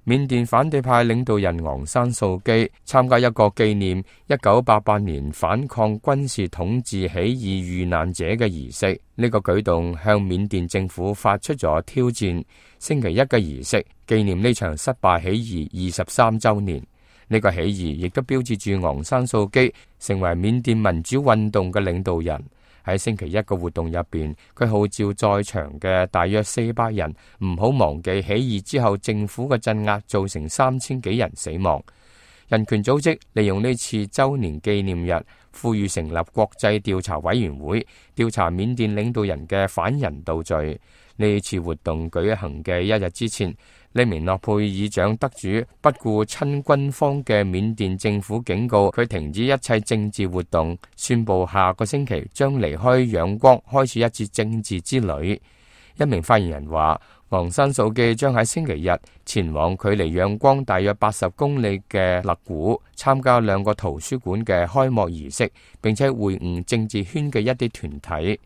緬甸反對派領導人昂山素基參加一個紀念1988年反抗軍事統治起義遇難者嘅儀式。呢個舉動向緬甸政府發出咗挑戰。星期一嘅儀式紀念呢場失敗起義23週年。呢個起義亦都標誌住昂山素基成為緬甸民主運動嘅領導人。喺星期一嘅活動入邊，佢號召在場嘅大約400人唔好忘記起義之後政府嘅鎮壓造成3000幾人死亡。人權組織利用呢次周年紀念日，呼籲成立國際調查委員會，調查緬甸領導人嘅反人道罪。呢次活動舉行嘅一日之前，呢名諾貝爾獎得主不顧親軍方嘅緬甸政府警告佢停止一切政治活動，宣布下個星期將離開仰光，開始一次政治之旅。一名發言人話，昂山素基將喺星期日前往距離仰光大約80公里嘅勒古，參加2個圖書館嘅開幕儀式，並且會晤政治圈嘅一啲團體。